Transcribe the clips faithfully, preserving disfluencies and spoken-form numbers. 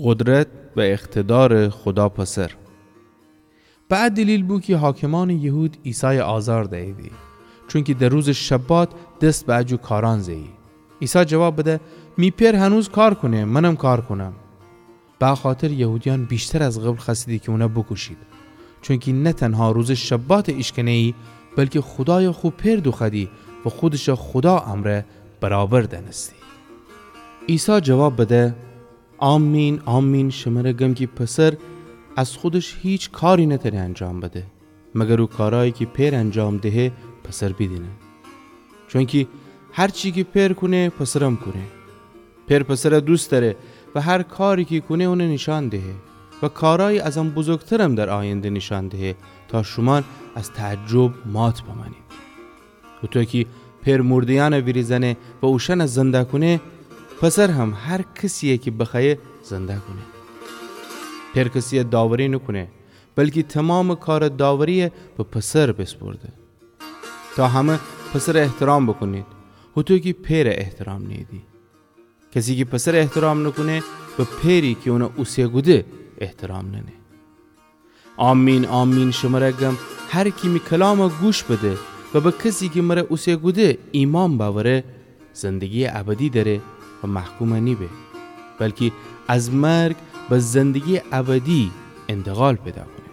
قدرت و اقتدارٚ خودا پسر. به ا دلیل بو کی حاکمأنٚ یهود عیسای آزار دییدی، چونکی در روزٚ شبات دس به ا جو کارأن زهیی. عیسی جواب بده: می پئر هنوز کار کونه، منم کار کونم. به ا خاطر یهودیأن ویشتر از قبل خوأستیدی کی اون بوکوشید، چونکی نه تنها روزٚ شبات ایشکنهیی، بلکی خودای خو پئر دوخوأدی و خودش خودا امرأ برابر دأنستی. عیسی جواب بده: آمین، آمین، شمر گم کی پسر از خودش هیچ کاری نتأنه انجام بده، مگر او کارأیی کی پئر انجام دهه، پسر بیدینه. چونکی هر چی کی پئر کونه، پسرم کونه. پئر پسر دوست دأره و هر کاری کی کونه، اون نیشأن دهه و کارأیی از ان بزرگترم در آینده نیشأن دهه، تا شومأن از تعجب مات بمأنید. هوطو کی پئر مردهیأن ویریزأنه و اوشأن زنده کونه، پسر هم هر کسیی کی بخوأیه زنده کونه. پئر کسیی داوری نوکونه، بلکی تومامٚ کارٚ داوریی به پسر بیسپرده، تا همه پسر احترام بوکونید، هوطو کی پئر احترام نیییدی. کسی کی پسر احترام نوکونه، به پئری کی اون اوسه کوده احترام نأنه. آمین، آمین، شمر گم، هر کی می کلام گوش بده و به کسی کی مر اوسه کوده ایمأن بأوره، زندگییٚ ابدی دأره و محکوم نیبه، بلکی از مرگ به زندگییٚ ابدی انتقال پیدا کونه.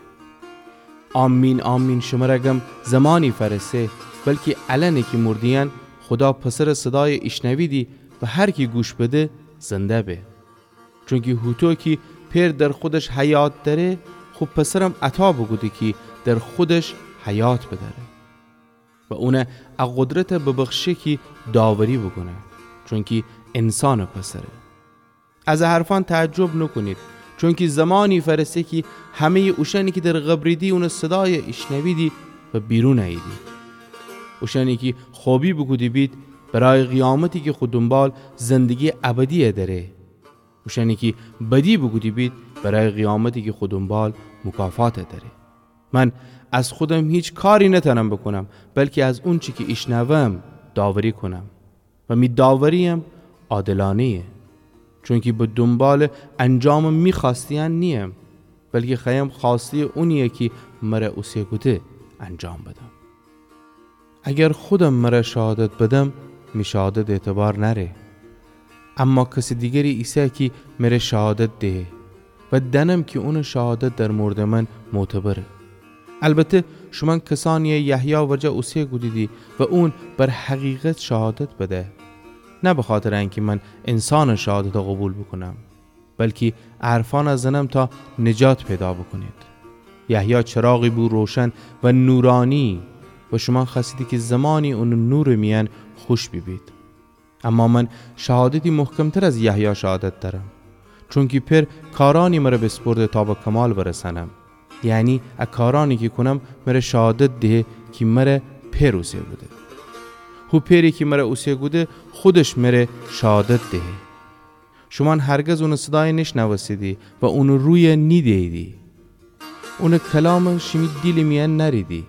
آمین، آمین، شمر گم، زمانی فأرسه، بلکی الأنه کی مردهیأن خودا پسرٚ صدای ایشنویدی و هر کی گوش بده، زنده به. چونکی هوطو کی پئر در خودش حیات دأره، خو پسرم عطا بوکوده کی در خودش حیات بدأره و اون ا قدرت ببخشه کی داوری بوکونه، چونکی انسانٚ پسره. از ا حرفأن تعجب نوکونید، چونکی زمانی فأرسه کی همهیٚ اوشأنی کی در قبریدی اونٚ صدای ایشنویدی و بیرون اییدی. اوشأنی کی خوبی بوکوده بید، برای قیامتی کی خو دونبال زندگییٚ ابدی دأره. اوشأنی کی بدی بوکوده بید، برای قیامتی کی خو دونبال مکافات دأره. من از خودم هیچ کاری نتأنم بوکونم، بلکی از اونچی کی ایشنوم داوری کونم و می داورییم عادلأنهیه، چونکی به دونبالٚ انجامٚ می خوأستهیأن نییم، بلکی خوأیم خوأستهیٚ اونیی کی مر اوسه کوده انجام بدم. اگر خودم مر شهادت بدم، می شهادت اعتبار نأره. اما کسٚ دیگری ایسه کی مر شهادت دهه و دأنم کی اونٚ شهادت در موردٚ من معتبره. البته شومأن کسأنیی یحیی ورجه اوسه کودیدی و اون بر حقیقت شهادت بده. نه بخاطرٚ انکی من انسانٚ شهادت قوبیل بوکونم، بلکی ا حرفأن زنم تا نجات پیدا بوکونید. یحیی چراغی بو روشن و نورأنی و شومأن خوأستیدی کی زمانی اونٚ نورٚ میأن خوش بیبید. اما من شهادتی محکمتر از یحیی شهادت دأرم، چونکی پئر کارأنی مر بیسپرده تا به کمال برسأنم. یعنی ا کارأنی کی کونم مر شهادت دهه کی مر پئر اوسه کوده. هو پئری کی مر اوسه کوده خودش مر شهادت دهه. شومأن هرگز اونٚ صدای نیشنوستیدی و اونٚ روی نیدهییدی. اونٚ کلام شیمی دیلٚ میأن نأریدی،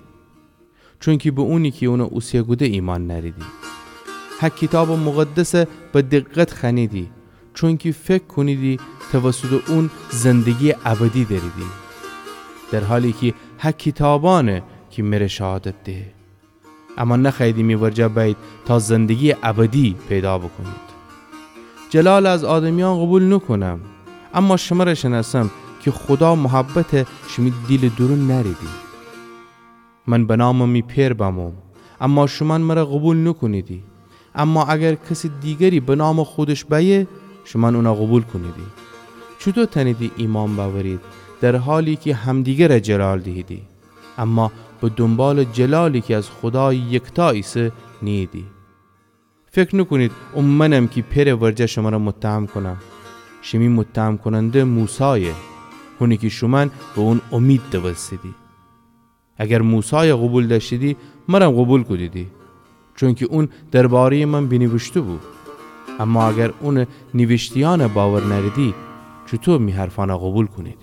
چونکی به اونی کی اون اوسه کوده ایمأن نأریدی. هه کیتابٚ مقدس به دقت خوأنیدی، چونکی فکر کونیدی توسطٚ اون زندگییٚ ابدی دأریدی، در حالی کی هه کیتابأنه کی مر شهادت دهه. اما نخوأییدی می ورجه بأیید تا زندگییٚ ابدی پیدا بوکونید. جلال از آدمیأن قوبیل نوکونم، اما شمر شنأسم کی خودا محبت شیمی دیلٚ دورون نأریدی. من به نامٚ می پئر بموم، اما شومأن مر قوبیل نوکونیدی. اما اگر کسٚ دیگری به نامٚ خودش بأیه، شومأن اون قوبیل کونیدی. چوطو تأنیدی ایمأن بأورید، در حالی کی همدیگر جلال دیهیدی، اما به دونبالٚ جلالی کی از خودایٚ یکتا ایسه نیییدی؟ فکر نوکونید او منم کی پئرٚ ورجه شمر متهم کونم. شیمی متهم کوننده موسایه، هونی کی شومأن به اون امید دوستیدی. اگر موسای قوبیل دأشتیدی، مرم قوبیل کودیدی، چونکی اون دربارهیٚ من بینیویشته بو. اما اگر اونٚ نیویشتهیأن باور نأریدی، چوطو می حرفأن قوبیل کونید؟